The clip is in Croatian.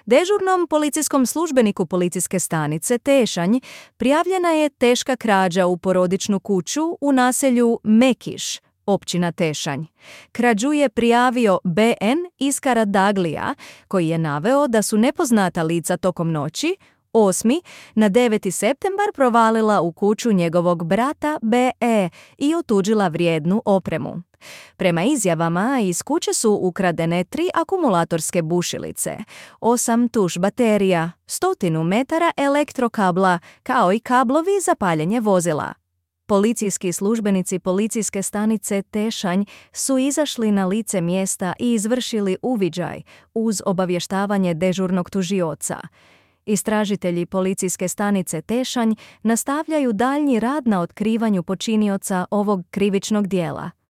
Dežurnom policijskom službeniku policijske stanice Tešanj prijavljena je teška krađa u porodičnu kuću u naselju Mekiš, općina Tešanj. Krađu je prijavio BN iz Karadaglija, koji je naveo da su nepoznata lica tokom noći 8. na 9. septembar provalila u kuću njegovog brata BE i otuđila vrijednu opremu. Prema izjavama, iz kuće su ukradene 3 akumulatorske bušilice, 8 tuš baterija, 100 metara elektrokabla, kao i kablovi za paljenje vozila. Policijski službenici policijske stanice Tešanj su izašli na lice mjesta i izvršili uviđaj uz obavještavanje dežurnog tužioca. Istražitelji policijske stanice Tešanj nastavljaju daljnji rad na otkrivanju počinioca ovog krivičnog djela.